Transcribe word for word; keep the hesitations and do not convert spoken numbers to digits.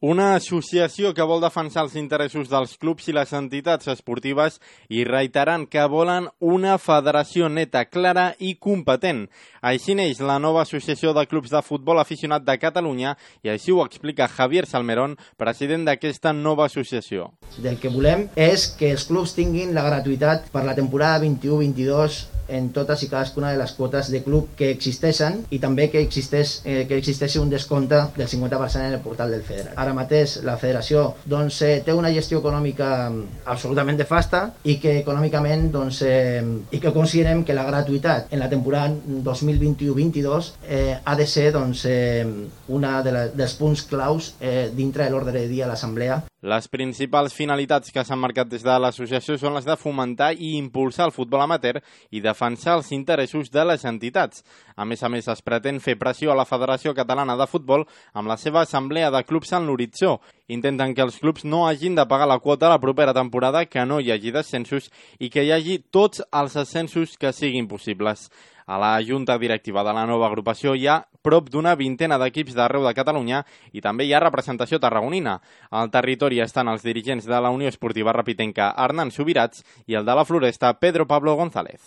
Una associació que vol defensar els interessos dels clubs i les entitats esportives i reiterant que volen una federació neta, clara i competent. Així neix la nova Associació de Clubs de Futbol Aficionat de Catalunya i així ho explica Javier Salmerón, president d'aquesta nova associació. Del que volem és que els clubs tinguin la gratuïtat per la temporada vint-i-u vint-i-dos en totes i cadascuna de les quotes de club que existeixen i també que existeix, eh, que existeixi un descompte del cinquanta per cent en el portal del federat. Ara mateix la federació doncs, eh, té una gestió econòmica absolutament nefasta i que econòmicament doncs, eh, i que considerem que la gratuïtat en la temporada dos mil vint-i-u vint-i-dos eh, ha de ser doncs, eh, una de la, dels punts claus eh, dintre de l'ordre de dia de l'assemblea. Les principals finalitats que s'han marcat des de l'associació són les de fomentar i impulsar el futbol amateur i defensar els interessos de les entitats. A més a més, es pretén fer pressió a la Federació Catalana de Futbol amb la seva assemblea de clubs en l'horitzó. Intenten que els clubs no hagin de pagar la quota la propera temporada, que no hi hagi descensos i que hi hagi tots els ascensos que siguin possibles. A la junta directiva de la nova agrupació hi ha prop d'una vintena d'equips d'arreu de Catalunya i també hi ha representació tarragonina. Al territori estan els dirigents de la Unió Esportiva Rapitenca Hernán Subirats i el de la Floresta Pedro Pablo González.